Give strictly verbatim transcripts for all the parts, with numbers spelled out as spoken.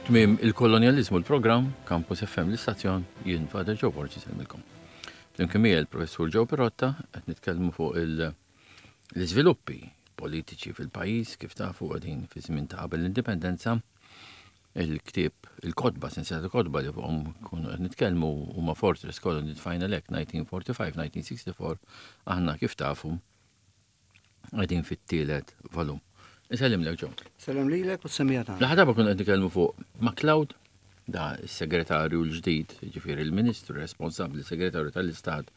Tmiem il-kolonjaliżmu l-programm, Campus F M l-istazzjon, jien Father Joe Borg insellmilkom. Flimkien miegħi l-Professur Joe Pirotta qed nitkellmu fuq l-iżviluppi politiċi fil-pajjiż. Kif tafu, qegħdin fi żmien ta' qabel l-indipendenza. Il-ktieb, il-kotba, sensiela ta' kotba li fuqhom kunu qed nitkellmu huma Fortress Colony Final Act elf disa' mija u erbgħa u erbgħin-elf disa' mija u sitta u erbgħin. Aħna, kif tafu, qegħdin fit-tielet volum. Insellimlek, Joe. Sellem lilek u s-semmiegħa tagħna. L-aħħar darba konna qed nitkellmu fuq MacLeod, da s-segretarju l-ġdid, ġifieri il-ministru responsabbli, segretarju tal-Istat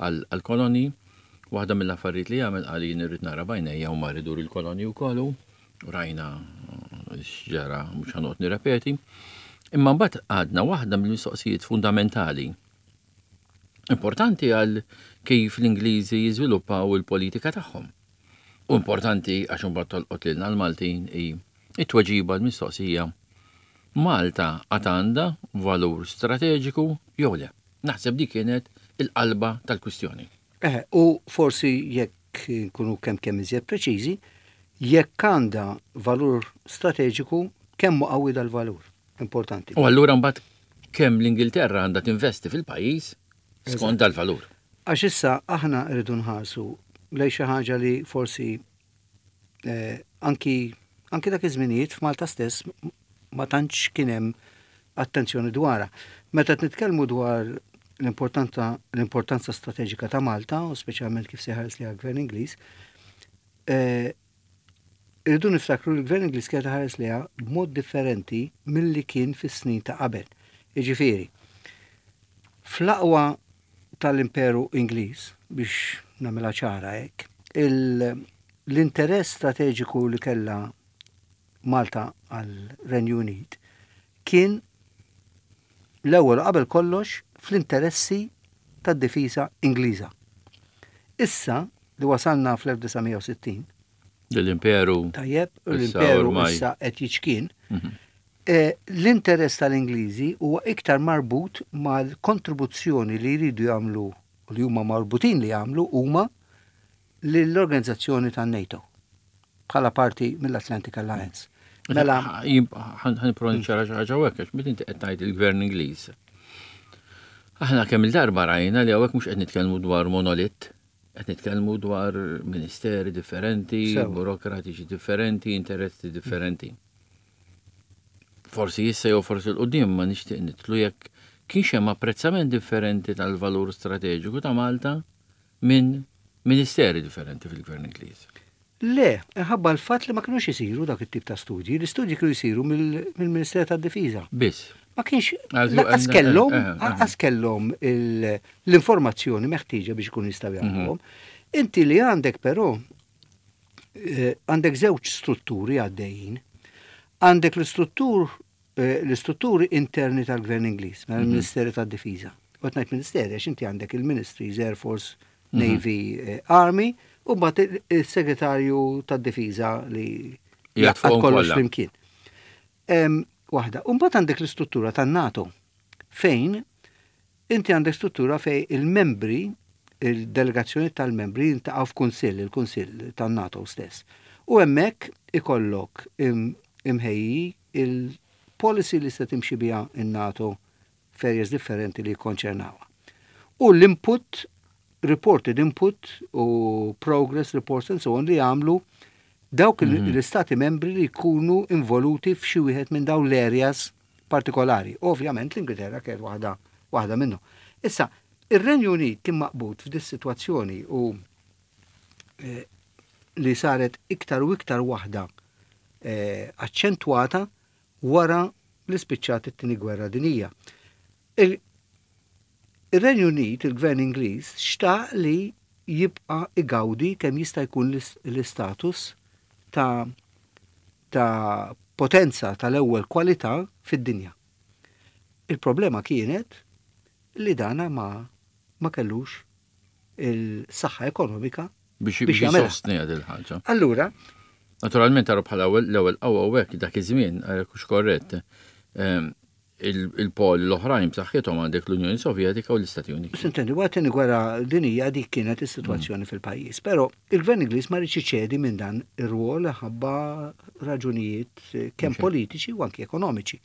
għal-koloni. Waħda mill-affarijiet li jagħmel, qal, jien irrid nara b'għajnejja u mar idur il-koloni wkoll u rajna x'ġara, mhux ħa noqgħod nirrepeti. Imma mbagħad għadna waħda mill-mistoqsijiet fundamentali importanti għal kif l-Ingliżi jiżviluppaw il-politika tagħhom. U importanti għax imbagħad tolqot lilna l-Maltin, hi it-tweġiba l-mistoqsija: Malta għad għandha valur strateġiku jew le? Naħseb dik kienet il-qalba tal-kwistjoni. Eh, u forsi jekk nkunu kemm kemm iżjed preċiżi, jekk għandha valur strateġiku, kemm hu qawwi dal-valur. Importanti. U allura mbagħad kemm l-Ingilterra għandha tinvesti fil-pajjiż skont dal-valur. Għax issa aħna rridu nħarsu lejn xi ħaġa li forsi eh, anki anki dak iż-żminijiet f'Malta stess ma tantx kien hemm attenzjoni dwarha. Meta qed nitkellmu dwar l-importanza l-importanza strateġika ta' Malta, u speċjalment kif se ħares lejha l-Gvern Ingliż, eh, irridu niftakru li l-Gvern Ingliż kien ħares lejha b'mod differenti milli kien fis-snin ta' qabel. Jiġifieri, fl-aqwa tal-Imperu Ingliż, biex nagħmilha ċara hekk, l-interess strateġiku li kella Malta għal Renju Unit kien l-ewwel qabel kollox fl-interessi tad-difiża Ingliża. Issa li wasalna fl-elf disa' mija u sittin, L-imperu. Tajjeb, l-imperu issa qed jiċkien. Mhm. Eh, l-interess tal-Ingliżi huwa iktar marbut mal-kontribuzzjoni li jridu jagħmlu u li huma marbutin li jagħmlu huma lill-organizzazzjoni tan-NATO bħala parti mill-Atlantic Alliance. Mela, ħa nipprova niċċara xi ħaġa hekk, għax meta inti qed tgħid il-Gvern Ingliż. Aħna kemm il-darba rajna li hawnhekk mhux qed nitkellmu dwar monolit, qed nitkellmu dwar ministeri differenti, burokratiċi differenti, interessi differenti. Forsi issa jew forsi 'l quddiem ma nixtieq nidħlu jekk kienx hemm apprezzament differenti tal-valur strateġiku ta' Malta minn ministeri differenti fil-Gvern Ingliż. Le, ħabba l-fatt li ma kienux isiru dak it-tip ta' studji. L-istudji kienu jisiru mill-Ministeru tad-Difiża. Biss. Ma kienx, lanqas kellhom, eh, eh, eh. lanqas kellhom l-informazzjoni meħtieġa biex ikunu jistgħu jagħmluhom. Mhm. Inti li għandek però għandek żewġ strutturi għaddejjin. Għandek l-istruttur l-istrutturi interni tal-Gvern Ingliż, mela l-Ministeru tad-Difiża. U ngħid ministeri għax inti għandek il-Ministries, Air Force, mhm. Navy, Army, u mbagħad il-Segretarju tad-Difiża li jgħaqqad kollox flimkien. Waħda. U mbagħad għandek l-istruttura tan-NATO fejn inti għandek struttura fejn il-membri, il-delegazzjoni tal-membri jiltaqgħu f'kunsill, il-kunsill tan-NATO stess. U hemmhekk ikollok imħejji il-policy li se timxi biha in-NATO f'areas differenti li jikkonċernawha. U l-input, reported input u progress reports and so on li jagħmlu dawk mm -hmm. l-istati membri li jkunu involuti f'xi wieħed minn dawn l-areas partikolari. Ovvjament l-Ingilterra kienet waħda waħda minnu. Issa, ir-Renju Unit kien maqbud f'dis sitwazzjoni u eh, li saret iktar u iktar waħda eh, aċċentwata wara li spiċċat it-tieni gwerra dinija. Il-Renju Unit, il-Gvern Ingliż, xtaq li jibqa igawdi kemm jista' jkun l-istatus ta' ta' potenza tal-ewwel kwalità fid-dinja. Il-problema kienet li dana ma ma kellux il-saħħa ekonomika biex biex jagħmel il-ħaġa. Allura, Naturalment taru bħala l-ewwel qawwa hekk dak iż-żmien, għalhekk hux korrett. Ehm, Il-pol l-oħrajn b'saħħithom għandek l-Unjoni Sovjetika u l-Istati Uniti. S'intendi, waqt it-tieni gwerra dinija dik kienet is-sitwazzjoni fil-pajjiż. Però il-Gvern Ingliż ma riedx iċedi minn dan ir-rwol ħabba raġunijiet eh, kemm politiċi u anki ekonomiċi.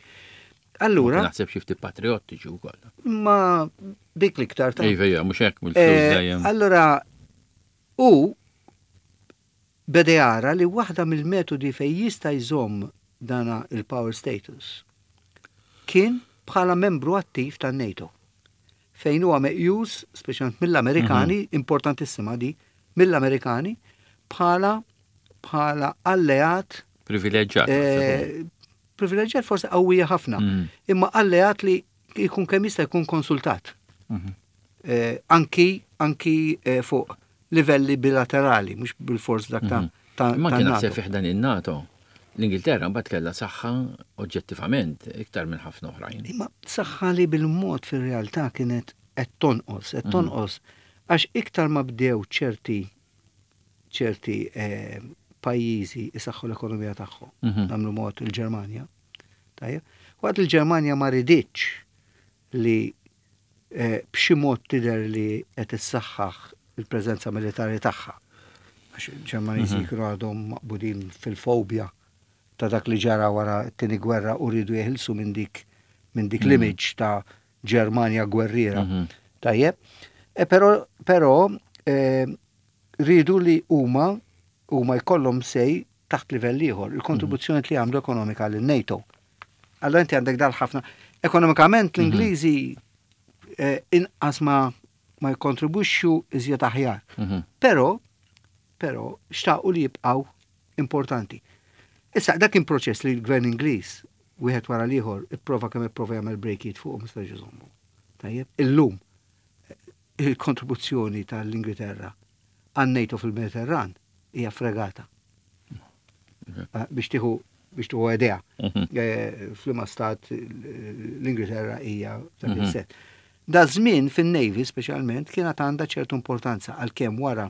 Allura, Naħseb xi ftit patriottiċi wkoll. Ma dik l-iktar ta' Iva, iva, mhux hekk mill-flus Eh, dejjem. Allora, u beda jara li waħda mill-metodi fej jista' jżomm dana il-power status kien bħala membru attiv tan-NATO. Fejn huwa meqjus, speċjalment mill-Amerikani, importantissima di, mill-Amerikani, bħala bħala alleat Privileġġjat. eh, privileġġjat forsi qawwija ħafna, Mm. imma alleat li jkun kemm jista' jkun konsultat. Mhm. Eh, anki anki eh, fuq livelli bilaterali, mhux bil-fors dak ta' ta' Imma ta' kien NATO. naħseb fih dan il-NATO. L-Ingilterra mbagħad kellha saħħa oġġettivament iktar minn ħafna oħrajn. Imma saħħa li bil-mod fir-realtà kienet qed tonqos, qed tonqos għax iktar ma bdew ċerti ċerti eh, pajjiżi isaħħu l-ekonomija tagħhom, Mhm. nagħmlu mod il-Ġermanja. Tajjeb. Waqt il-Ġermanja ma riditx li eh, b'xi mod tidher li qed issaħħaħ il-preżenza militari tagħha. Għax il-Ġermaniżi kienu għadhom maqbudin fil-fobja ta' dak li ġara wara t-tieni gwerra u rridu jeħilsu minn dik minn dik l-image ta' Ġermanja gwerriera. Mhm. Tajjeb. E però però eh, rridu li huma huma jkollhom sej taħt livell ieħor, il-kontribuzzjoni li għamlu ekonomika lin NATO. Allora inti għandek dal ħafna. Ekonomikament l-Ingliżi eh, inqas ma ma jkontribwixxu iżjed aħjar. Mhm. Però, però xtaqu li jibqgħu importanti. Issa dak kien proċess li l-gvern Ingliż wieħed wara l-ieħor ipprova kemm ipprova jagħmel brejkiet fuq ma setax iżommu. Tajjeb, illum il-kontribuzzjoni tal-Ingilterra għan-NATO fil-Mediterran hija fregata. Eh, Biex tieħu biex tieħu idea. Mhm. Eh, F'liema stat l-Ingilterra hija dak il-set. Da żmien fin-Navy speċjalment kienet għandha ċertu importanza għalkemm wara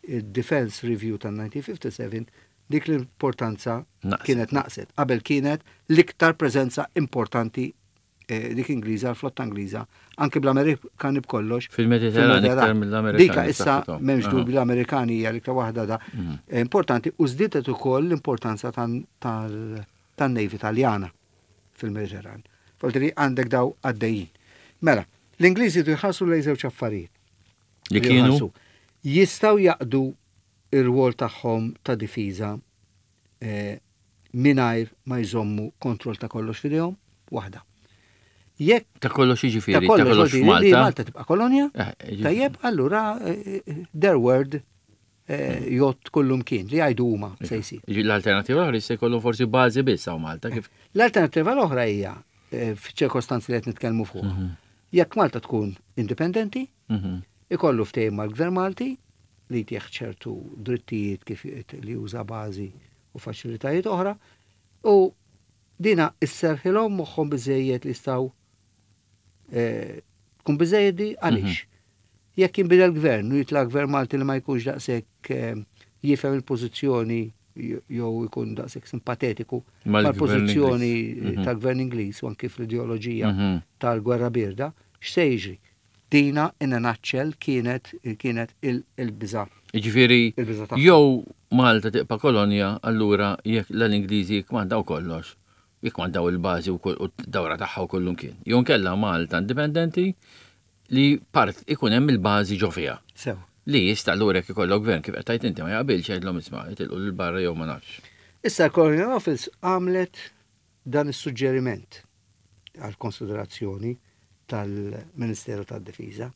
il-Defense Review tal-elf disa' mija u ħamsa u sebgħin dik l-importanza Naqset. kienet naqset. Qabel kienet l-iktar preżenza importanti eh, dik Ingliża, l-flotta Ingliża, anke bl-Amerikani b'kollox. Fil-Mediterran iktar mill-Amerikani Dika issa b'saħħithom. m'hemmx Aha. dubju l-Amerikani hija l-iktar waħda da eh, importanti u żdiedet ukoll l-importanza tan- tal- tan-Navy Taljana fil-Mediterran. Foltri għandek daw għaddejjin. Mela, l-Ingliżi jridu jħarsu lejn żewġ affarijiet. Li kienu Jħarsu. Jistgħu jaqdu ir-rwol tagħhom ta' difiża eh, mingħajr ma jżommu kontroll ta' kollox f'idejhom, waħda. Jekk ta' kollox ta' jiġifieri, ta' kollox kollox vuol dire li f'Malta. Malta tibqa' kolonja, Eh, jiġifieri- tajjeb, allura eh, eh, their word eh, jgħodd kullimkien li jgħidu huma se jsir. Jiġi- L-alternativa l-oħra jista' jkollhom forsi bażi biss hawn Malta kif L-alternativa l-oħra hija eh, f'ċirkostanzi li qed nitkellmu fuq. Jekk Malta tkun indipendenti, Mhm. ikollu ftehim mal-Gvern Malti li jtieħ ċertu drittijiet kif li juża bażi u faċilitajiet oħra u dina isserħilhom moħħhom biżejjed li jistgħu eh, tkun biżejjed di għaliex. Jekk jinbidel gvern u jitla' gvern Malti li ma jkunx daqshekk eh, jifhem il-pożizzjoni jew ikun daqshekk simpatetiku Mal-gvern mal-pożizzjoni Ingliż. Mhm. tal-gvern Ingliż u anki fl-ideoloġija Mhm. tal-gwerra birda, x'se jiġri? Dina in a nutshell kienet kienet il- il-biża. Jiġifieri Il-biża tagħha. jew Malta tibqa' kolonja, allura jekk l-Ingliżi jikkmandaw kollox, jikkmandaw il-bażi u kull- u d-dawra tagħha u kullimkien. Jew nkella Malta indipendenti li part ikun hemm il-bażi ġo fiha. Sew. Li jista' allura jekk ikollok gvern kif qed tgħid inti ma jaqbilx jgħidlhom isma' jitilqu lil barra jew ma nafx. Issa l-Colonial Office għamlet dan is-suġġeriment għal konsiderazzjoni tal-Ministeru tad-Difiża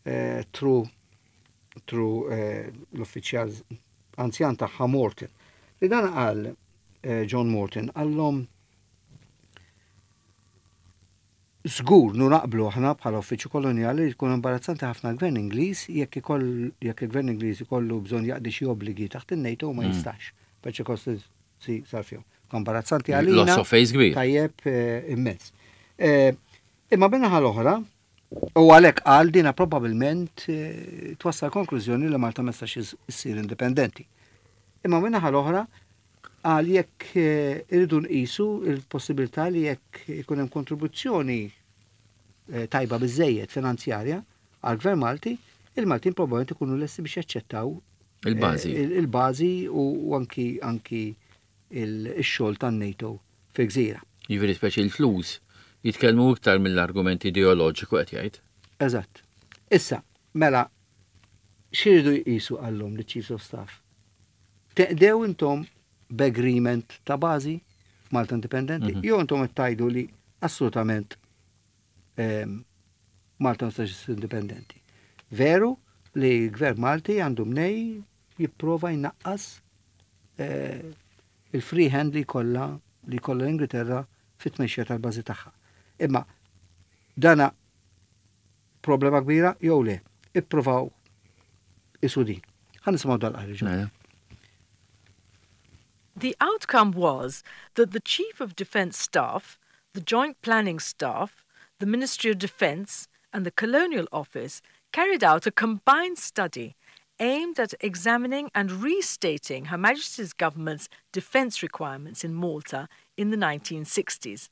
eh, through through eh, l-uffiċjal anzjan tagħha Morton. Li dan qal eh, John Morton qallhom Żgur nu naqblu aħna bħala uffiċċju kolonjali li jkun imbarazzanti ħafna l-gvern Ingliż jekk ikoll jekk il-gvern Ingliż ikollu bżonn jaqdi xi obbligi taħt in-NATO ma jistax. B'ċirkostanzi sar fihom. Imbarazzanti għalina. Loss of face kbir. Tajjeb eh, immens. Eh, Imma bin-naħa l-oħra, u għalhekk qal dina probabbilment eh, twassal konklużjoni li Malta ma tistax issir indipendenti. Imma min-naħa l-oħra, Għal jekk eh, irridu nqisu il-possibilità li jekk ikun hemm kontribuzzjoni eh, tajba biżejjed finanzjarja għal-Gvern Malti, il-Maltin probabbilment ikunu lesti biex jaċċettaw Il-bażi. eh, il-bażi u anki anki il-xogħol tan-NATO fil-gżira. Jiġifieri speċi l-flus jitkellmu iktar mill-argument ideoloġiku qed jgħid. Eżatt. Issa, mela, x'iridu jqisu għallhom li Chiefs of Staff? Teqdew intom b'agreement ta' bażi f'Malta Indipendenti, mm -hmm. jew intom qed tgħidu li assolutament ehm, Malta ma tistax indipendenti. Veru li l-Gvern Malti għandu mnejn jipprova jnaqqas eh, il-free hand li kollha li kollha l-Ingilterra fit-tmexxija tal-bażi tagħha. Imma dana problema kbira jew le, ippruvaw qisu din. Ħa nisimgħu dal-qari. Mela. The outcome was that the Chief of Defence Staff, the Joint Planning Staff, the Ministry of Defence, and the Colonial Office carried out a combined study aimed at examining and restating Her Majesty's government's defence requirements in Malta in the nineteen sixties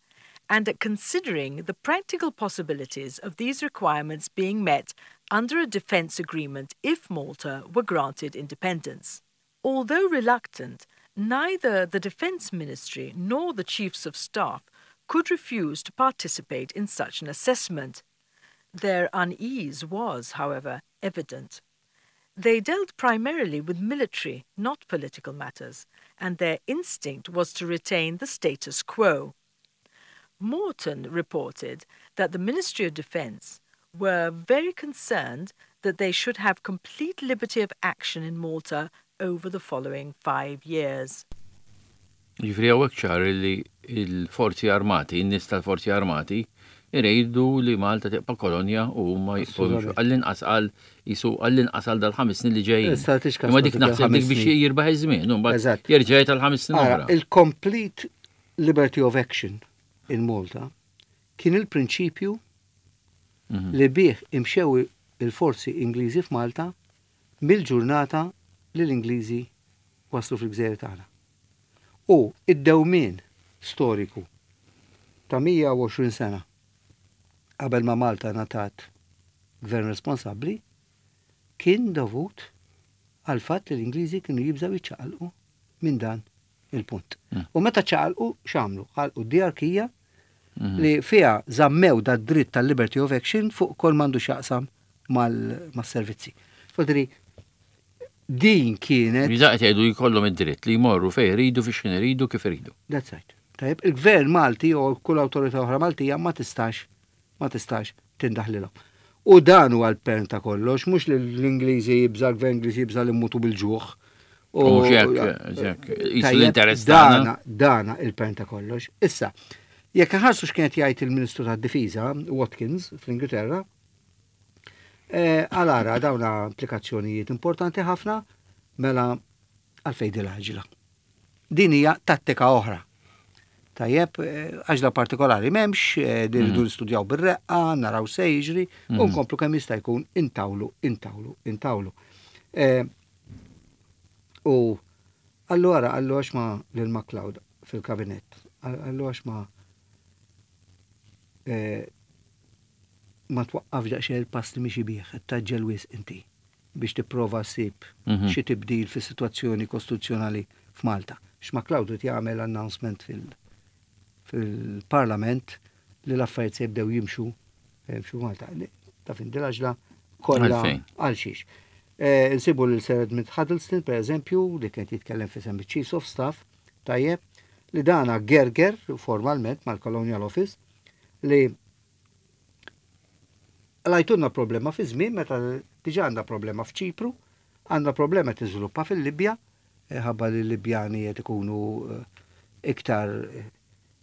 and at considering the practical possibilities of these requirements being met under a defence agreement if Malta were granted independence. Although reluctant, neither the Defence Ministry nor the Chiefs of Staff could refuse to participate in such an assessment. Their unease was, however, evident. They dealt primarily with military, not political matters, and their instinct was to retain the status quo. Morton reported that the Ministry of Defence were very concerned that they should have complete liberty of action in Malta over the following five years. Jiġifieri hawnhekk ċar li il-forzi armati, in-nies tal-forzi armati, iridu li Malta tibqa' kolonja u huma jibqgħu għall-inqas għal jisu għall-inqas għal dal-ħames snin li ġejjin. Issa tixkas Imma dik dik naħseb dik il-ħames biex snin. jirbaħ iż-żmien, u mbagħad Eżatt. jerġa' tal-ħames snin Ara, oħra. il-complete liberty of action in Malta kien il-prinċipju Mhm. li bih imxew il-forzi Ingliżi f'Malta mill-ġurnata li l-Ingliżi waslu fil-gżejjer tagħna. U id-dewmien storiku ta' mija u għoxrin sena qabel ma Malta ngħatat gvern responsabbli kien dovut għal fatt li l-Ingliżi kienu jibżaw jiċċaqalqu minn dan il-punt. Mm. U meta ċaqalqu x'għamlu? Ħalqu diarkija Mhm. li fiha żammew da dritt tal-liberty of action fuq kull m'għandu x'jaqsam mal-servizzi. Fodri, din kienet Jiġifieri qed jgħidu jkollhom id-dritt li jmorru fejn iridu, fi x'ħin iridu, kif iridu. That's right. Tajjeb, il-gvern Malti u kull awtorità oħra Maltija ma tistax ma tistax tindaħlilhom. U dan huwa l-pern ta' kollox, mhux li l-Ingliżi jibża l-gvern Ingliżi jibża li mmutu bil-ġuħ. U mhux hekk, hekk, qisu Tajjeb, l-interess tagħna. Dana, dana il-pern ta' kollox. Issa, jekk ħarsu x'kienet jgħid il-Ministru tad-Difiża, Watkins, fl-Ingilterra, eh, għalara dawna implikazzjonijiet importanti ħafna, mela għalfejn dil-għaġla. Din hija tattika oħra. Tajjeb, eh, għaġla partikolari m'hemmx, eh, din irridu nistudjaw bir-reqqa, naraw se jiġri, u nkomplu kemm jista' jkun intawlu, intawlu, intawlu. Eh, U allora, allora għax ma lil MacLeod fil-kabinett, allora għax ma eh, ma twaqqaf daqsxejn il-pass li mixi bih, tgħaġġel wisq inti biex tipprova ssib Mhm. xi tibdil fis-sitwazzjoni kostituzzjonali f'Malta. X'MacLeod irid jagħmel announcement fil- fil-Parlament li l-affarijiet se jibdew jimxu jimxu Malta. Ta' fin dil-għaġla kollha Għalfejn? għal xiex. Eh, Nsibu lil Sir Edmund Huddleston, per eżempju, li kien jitkellem fi Chiefs of Staff, tajjeb, li dana gerger formalment mal-Colonial Office li għalajtunna problema fi żmien meta diġà għandna problema f'Ċipru, għandna problema tiżviluppa fil-Libja, eh, ħabba li l-Libjani qed ikunu eh, iktar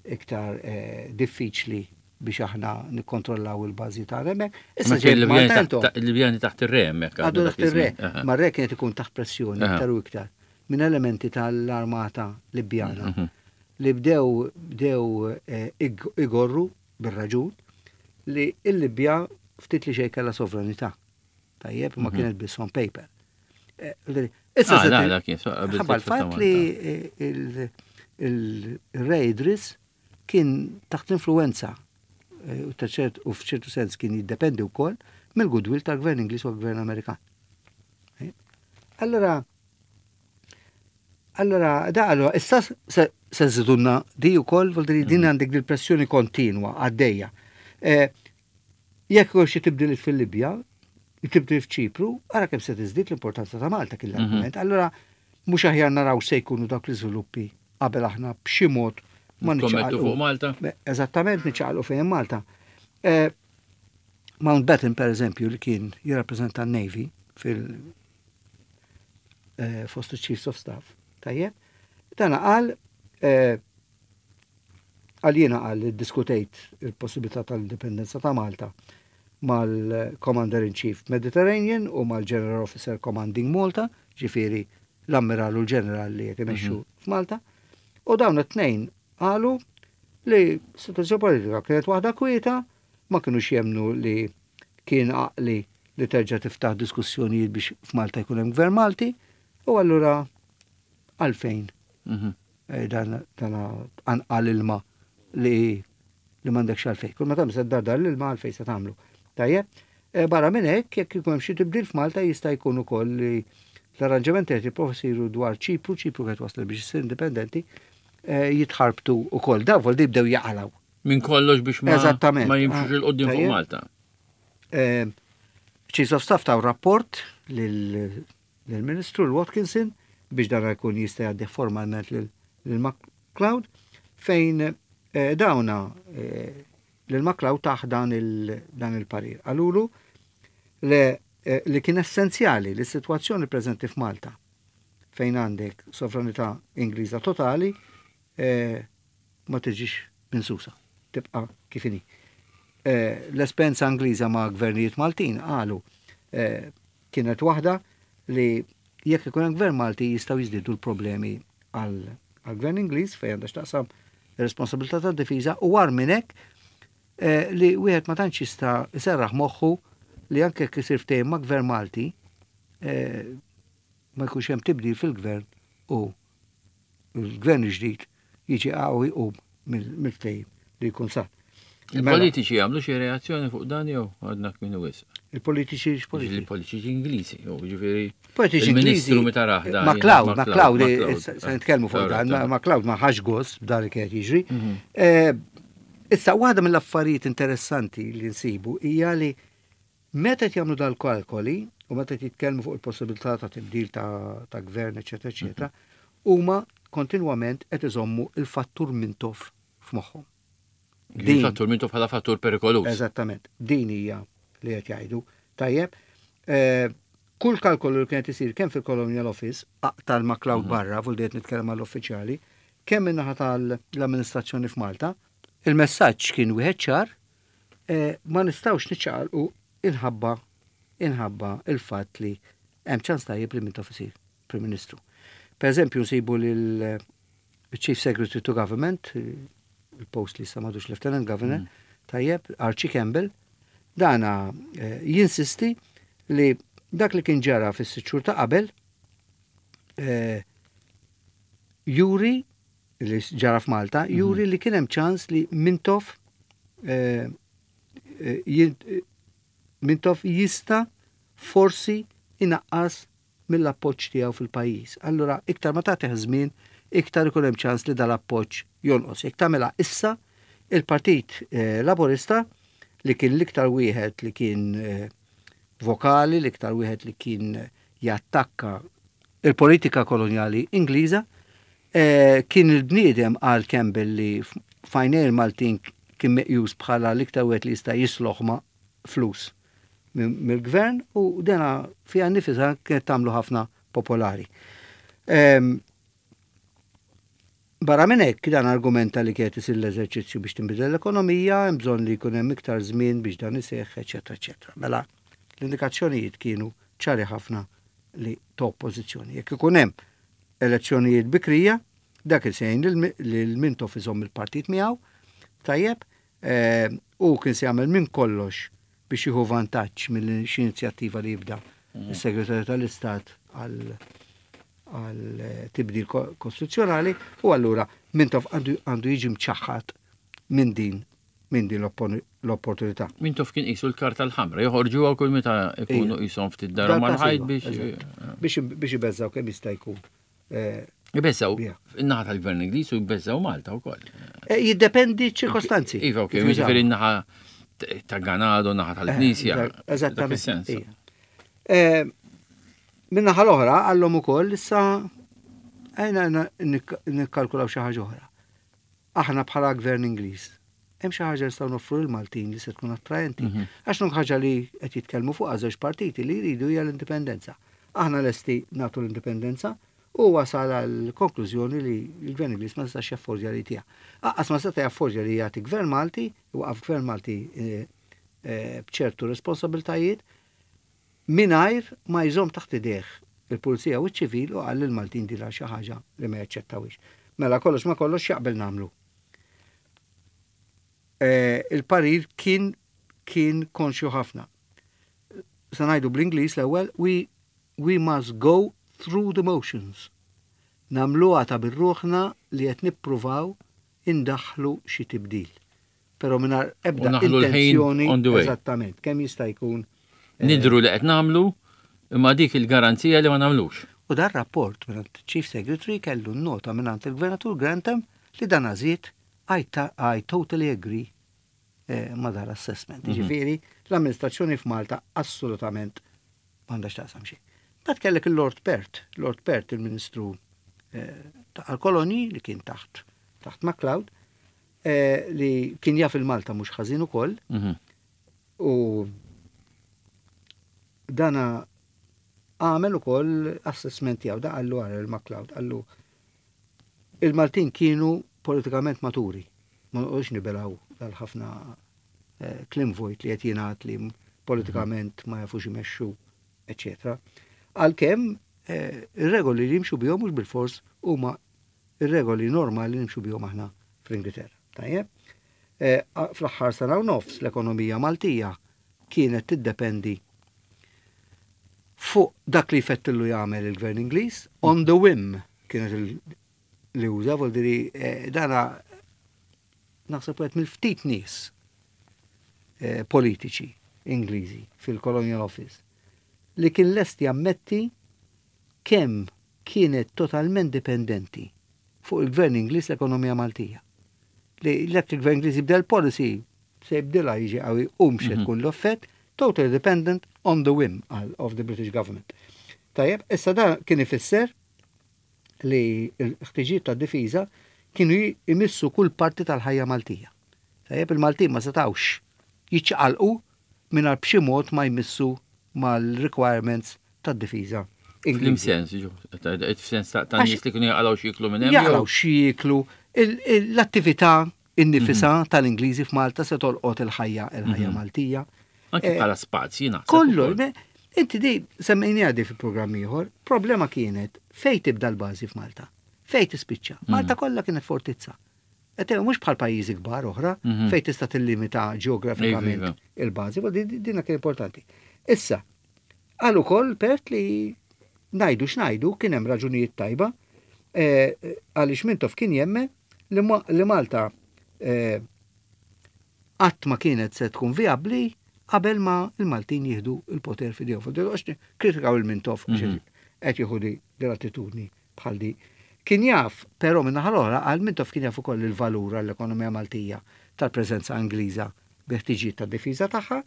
iktar eh, diffiċli biex aħna nikkontrollaw il-bażi ta' hemmhekk. Issa Ma ġejt il-Libjani Malta taħt- intom. ta- il-Libjani taħt ir-re hemmhekk. Għadu dak taħt ir-re, iż-żmien. ma r-re kienet ikun taħt pressjoni Aha. iktar u iktar minn elementi tal-armata Libjana Mhm. li bdew bdew eh, ig- igorru bir-raġun li il-Libja ftit li xejn kellha sovranità. Tajjeb, ma Mhm. kienet biss on paper. Eh, Issa Ah, se la, ti- la, kien so- qabel ħabba titfa' ta' l-fatt li il- il-Re Idris kien taħt influenza eh, u ta' ċert u f'ċertu sens kien jiddependi wkoll mill-goodwill tal-gvern Ingliż u l-gvern Amerikan. Eh? Allora, allora, da, allora, issa se se żidulna di wkoll, vuol dire din għandek dil-pressjoni kontinwa għaddejja. Eh, Jekk xi tibdil fil-Libja, tibdil f'Ċipru, ara kemm se tiżdied l-importanza ta' Malta kien l-argument. Allora, mhux aħjar naraw se jkunu dawk l-iżviluppi qabel aħna b'xi mod ma Nikkommettu niċċaqalqu. fuq Malta? Beh, Eżattament niċċaqalqu fejn Malta. Eh, Mountbatten, per eżempju, li kien jirrappreżenta n-Navy fil eh, fost il-Chiefs of Staff, tajjeb, dana qal eh, għal jiena qal li diskutejt il-possibilità tal-indipendenza ta' Malta mal-Commander in Chief Mediterranean u mal-General Officer Commanding Malta, ġifieri l-ammiral u l-ġeneral li qed imexxu f'Malta. U dawn it-tnejn qalu li situazzjoni politika kienet waħda kwieta, ma kienux jemnu li kien għaqli li terġa' tiftaħ diskussjonijiet biex f'Malta jkun hemm gvern Malti, u allura għalfejn Mhm. eh, dan dan anqal ilma li li m'għandekx għalfejn. Kull ma tagħmel se ddardar l-ilma għalfejn se tagħmlu. Tajjeb, eh, barra minn hekk jekk ikun hemm xi tibdil f'Malta jista' jkun ukoll li l-arranġamenti qed jipprova jsiru dwar Ċipru, Ċipru qed waslet biex issir indipendenti, eh, jitħarbtu ukoll. Daw vol jibdew jaqalaw. Minn kollox biex ma Eżattament. ma jimxux Ah, 'il quddiem fuq tajjeb. Malta. Eh, Chiefs of Staff taw rapport lil- lill-Ministru l-Watkinson biex dan jkun jista' jgħaddi formalment lil lil MacLeod fejn eh, dawna eh, lil MacLeod taħ dan il- dan il-parir. Qalulu li, eh, li kien essenzjali li s-sitwazzjoni preżenti f'Malta fejn għandek sovranità Ingliża totali eh, ma tiġix minn tibqa' kif inhi. Eh, L-esperjenza Ingliża ma' gvernijiet Maltin qalu eh, kienet waħda li jekk ikun hemm gvern Malti jistgħu jiżdiedu l-problemi għal għal gvern Ingliż fejn għandha x'taqsam ir-responsabilità tad-difiża u war minn hekk eh, li wieħed ma tantx jista' jserraħ moħħu li anke jekk isir ftehim ma' gvern Malti eh, ma jkunx hemm tibdil fil-gvern u l-gvern ġdid jiġi qawwi jqum mill-ftehim li jkun sar. Mela, Il-politiċi għamlu xi reazzjoni fuq dan jew għadna kmieni wisq. Il-politiċi x'politiċi? Il-politiċi Ingliżi, jew ġifieri. Politiċi Il-Ministru Ingliżi. meta rah dan. MacLeod, jien MacLeod, MacLeod. se nitkellmu fuq dan, Alright, MacLeod ma ħax gost b'dan li kienet jiġri. Mhm. Eh, Issa, waħda mill-affarijiet interessanti li nsibu hija li meta qed jagħmlu dal-kalkoli u meta qed jitkellmu fuq il-possibilità ta' tibdil ta' ta' gvern, eċetera, eċetera, huma kontinwament qed iżommu il-fattur Mintoff f'moħħhom. Din fattur Mintoff bħala fattur perikoluż. Eżattament. Din hija li qed jgħidu. Tajjeb, eh, kull kalkolu li kienet isir kemm fil-Colonial Office, aqta' MacLeod barra, vuol dire nitkellem għall-uffiċjali, kemm min-naħa tal-amministrazzjoni f'Malta, il-messaġġ kien wieħed ċar, eh, ma nistgħux niċċaqalqu inħabba inħabba il-fatt li hemm ċans tajjeb li Mintoff isir Prim Ministru. Per eżempju, nsibu lil Chief Secretary to Government, il-post li m'għadux Lieutenant Governor, tajjeb, Archie Campbell, dana eh, jinsisti li dak li kien ġara fis-sitt xhur ta' qabel eh, juri li ġara f'Malta, juri li kien hemm ċans li Mintoff eh, eh, jin- eh, Mintoff jista' forsi inaqqas mill-appoġġ tiegħu fil-pajjiż. Allura iktar ma tagħtih żmien, iktar ikun hemm ċans li dal-appoġġ jonqos. Jekk tagħmilha issa, il-Partit eh, Laburista li kien l-iktar wieħed li kien eh, vokali, l-iktar wieħed li kien jattakka il-politika koloniali Ingliża, eh, kien il-bniedem għal Campbell li f'għajnejn il-Maltin kien meqjus bħala l-iktar wieħed li jista' jisloħ ma' flus mill-gvern u dena fiha nifisha kienet tagħmlu ħafna popolari. Em, Barra minn hekk dan argumenta li kienet isir l-eżerċizzju biex tinbidel l-ekonomija, hemm bżonn li jkun hemm iktar żmien biex dan iseħħ, eċetera, eċetera. Mela, l-indikazzjonijiet kienu ċari ħafna li ta' oppożizzjoni. Jekk ikun hemm elezzjonijiet bikrija, dak il sejn lil Mintoff iżomm il-partit miegħu, tajjeb, eh, u kien se jagħmel minn kollox biex jieħu vantaġġ mill xi inizjattiva li jibda is-Segretarju tal-Istat għal għal tibdil kostituzzjonali u allura Mintoff għandu jiġi mċaħħad minn din minn din l-opportunità. Mintoff kien qisu l-karta l-ħamra, joħorġu għaw kull meta ikunu qishom ftit daru mal-ħajt biex. Biex ibeżżaw kemm jista' jkun. Jbeżżaw in-naħa tal-Gvern Ingliż u jbeżżaw Malta wkoll. Jiddependi ċirkostanzi. Iva, ok, jiġifieri n-naħa ta' Ganado, naħa tal-Knisja. Eżattament. Min-naħa l-oħra għallhom ukoll issa għajna nikkalkulaw xi ħaġa oħra. Aħna bħala Gvern Ingliż hemm xi ħaġa nistgħu noffru lill-Maltin li se tkun attraenti. Għax nuk ħaġa li qed jitkellmu fuq żewġ partiti li jridu hija l-indipendenza. Aħna lesti nagħtu l-indipendenza u wasal għal konklużjoni li l-Gvern Ingliż ma setax jaffordja li tiegħu. Aqqas ma seta' jaffordja li jagħti Gvern Malti, waqaf Gvern Malti b'ċertu responsabiltajiet mingħajr ma jżomm taħt idejh il-pulizija u ċ-ċivil u qal lill-Maltin dila xi ħaġa li ma jaċċettawix. Mela kollox ma kollox jaqbel nagħmlu. Il-parir kien kien konxju ħafna. Sa ngħidu bl-Ingliż l-ewwel, we, we must go through the motions. Nagħmluha ta' bir-ruħna li qed nippruvaw indaħlu xi tibdil. Però mingħajr ebda intenzjoni eżattament kemm jista' jkun. Nidru li qed nagħmlu imma dik il-garanzija li ma nagħmlux. U dar rapport mingħand Chief Secretary kellu nota mingħand il-Gvernatur Grantham li dan għażiet I, I totally agree eh, ma dar assessment. Ġifieri, l-amministrazzjoni f'Malta assolutament m'għandax taqsam xejn. Bat kellek il-Lord Perth, Lord Perth il-Ministru eh, tal-kolonji li kien taħt taħt MacLeod, eh, li kien jaf il-Malta mhux ħażin ukoll. U dana għamel ukoll assessment tiegħu, da qallu għal il-MacLeod, qallu il-Maltin kienu politikament maturi. Ma noqgħodx nibelaw dal-ħafna kliem vojt li qed jingħad li politikament ma jafux imexxu, eċetera. Għalkemm ir-regoli li jimxu bihom mhux bil-fors huma ir-regoli normali li nimxu bihom aħna fl-Ingilterra. Tajjeb? Fl-aħħar sena u nofs l-ekonomija Maltija kienet tiddependi fuq dak li jfettillu jagħmel il-Gvern Ingliż, on the whim kienet li uża, vuol dire dana naħseb wieħed mill-ftit nies politiċi Ingliżi fil-Colonial Office li kien lest jammetti kemm kienet totalment dipendenti fuq il-Gvern Ingliż l-ekonomija Maltija. Li l il-Gvern Ingliż jibdel policy se jibdilha jiġi qawwi u mhux tkun l-offett, totally dependent on the whim of the British government. Tajjeb, issa dan kien ifisser li l-ħtiġijiet ta' difiża kienu jmissu kull parti tal-ħajja Maltija. Tajjeb, il-Maltin ma setawx jiċċaqalqu mingħajr b'xi mod ma jmissu mal-requirements tad-difiża. Flim sens, f'sens ta' nies li kienu jaqalgħu x'jieklu minn hemm. Jaqalgħu x'jieklu, l-attività innifisha tal-Ingliżi f'Malta se tolqot il-ħajja il-ħajja Maltija. Anke bħala spazji naħseb. Kollu, inti di semmejni għadi fi programm ieħor, problema kienet fej tibda l-bażi f'Malta, fej tispiċċa. Malta kollha kienet fortizza. Et mhux bħal pajjiżi kbar oħra fej tista' tillimita ġeografikament il-bażi, dina kien importanti. Issa, għal ukoll Perth li ngħidu x'ngħidu kien hemm raġunijiet tajba għaliex Mintoff kien jemmen li Malta qatt ma kienet se tkun vijabbli qabel ma il-Maltin jieħdu il-poter f'idejhom. Għax kritikaw il-Mintoff qed jieħu di l-attitudni bħal di. Kien jaf, però minn naħa l-oħra, għal Mintoff kien jaf ukoll il-valur għall-ekonomija Maltija tal-preżenza Ingliża bi ħtiġijiet tad-difiża tagħha,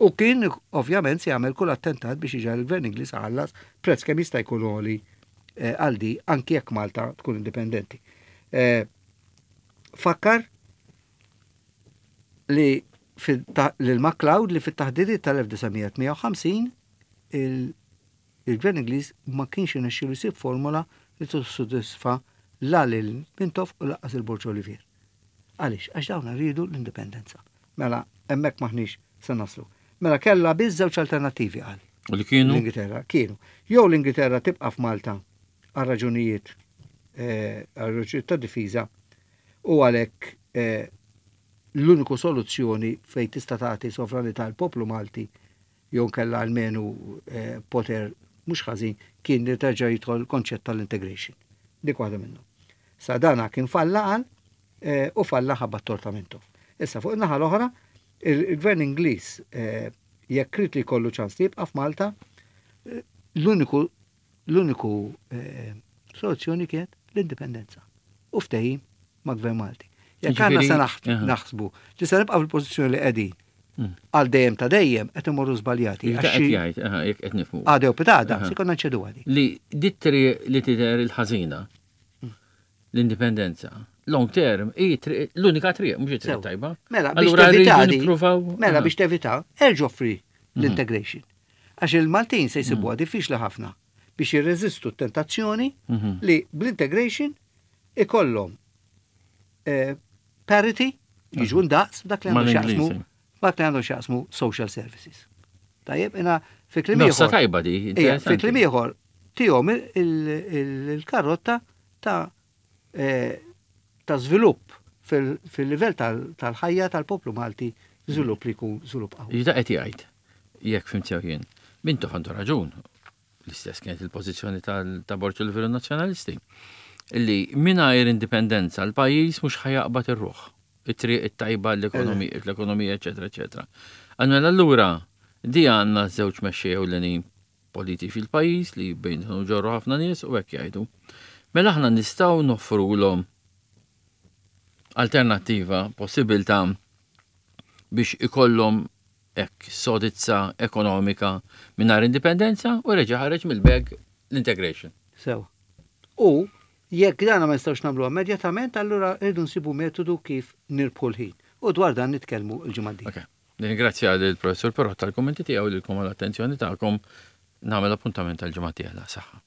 u kien ovvjament se jagħmel kull attentat biex iġagħal il-Gvern Ingliż ħallas prezz kemm jista' jkun għoli għal di anki jekk Malta tkun indipendenti. Fakkar li lil MacLeod li fit-taħdidiet tal-elf disa' mija tmija u ħamsin il-Gvern Ingliż ma kienx irnexxielu jsib formula li tissodisfa la lil Mintoff u lanqas il-Borg Olivier. Għaliex? Għax dawn rridu l-indipendenza. Mela hemmhekk maħniex se naslu. Mela kellha biss żewġ alternattivi qal. U li kienu? L-Ingilterra kienu. Jew l-Ingilterra tibqa' f'Malta għal raġunijiet, għal raġunijiet ta' difiża u għalhekk l-uniku soluzzjoni fejn tista' tagħti sovranità l poplu Malti jew kellha almenu poter mhux ħażin kien li terġa' jidħol konċett tal-integration. Dik waħda minnhom. Sa dana kien falla għal eh, u falla ħabba t-torta Mintoff. Issa fuq in-naħa l-oħra, il-gvern Ingliż eh, jekk ried li jkollu ċans li jibqa' f'Malta, eh, l-uniku l-uniku soluzzjoni kienet l-indipendenza. U ftehim ma' gvern Malti. Jekk għandna se naħsbu li se nibqa' fil-pożizzjoni li qegħdin mm. għal dejjem ta' dejjem qed imorru żbaljati. Jekk qed nifhmu. Għadew pitada, se konna nċedu għadi. Li dit-triq li tidher il-ħażina, mm. l-indipendenza, long term, l-unika triq, mhux it-triq tajba. Mela, biex tevita, mela biex tevita, erġa' offri mhm. l-integration. Għax il-Maltin se jsibuha mm. diffiċli ħafna biex jirreżistu t-tentazzjoni mhm. li bl-integration ikollhom eh, parity, jiġu ndaqs dak li għandu x'jaqsmu dak li għandu x'jaqsmu social services. Tajjeb, ina fi kliem ieħor. Tajba di. Fi kliem ieħor tihom il-karotta ta' eh, ta' żvilupp fil-livell tal-ħajja tal-poplu Malti, żvilupp li jkun żvilupp qawwi. Jida qed jgħid, jekk fhimt sew jien, Mintoff għandu raġun, l-istess kienet il-pożizzjoni ta' Borg Olivier Nazzjonalisti, illi mingħajr indipendenza l-pajjiż mhux ħa jaqbad ir-ruħ, it-triq it-tajba l-ekonomija, eċetera, eċetera. Għalmela allura di għandna żewġ mexxejja ewlenin politiċi fil-pajjiż li bejn ġorru ħafna nies u hekk jgħidu. Mela aħna nistgħu noffrulhom alternattiva, possibilità biex ikollhom hekk sodizza ekonomika mingħajr indipendenza u reġa' ħareġ mill-bag l-integration. Sew. U jekk dana ma nistgħux nagħmluha immedjatament, allura rridu nsibu metodu kif nirbħu l-ħin. U dwar dan nitkellmu l-ġimgħa d Okay. Nirringrazzja lill-Professur Perrotta tal-kummenti tiegħu, lilkom għall-attenzjoni tagħkom. Nagħmel appuntament tal-ġimgħa d-dieħla. Saħħa.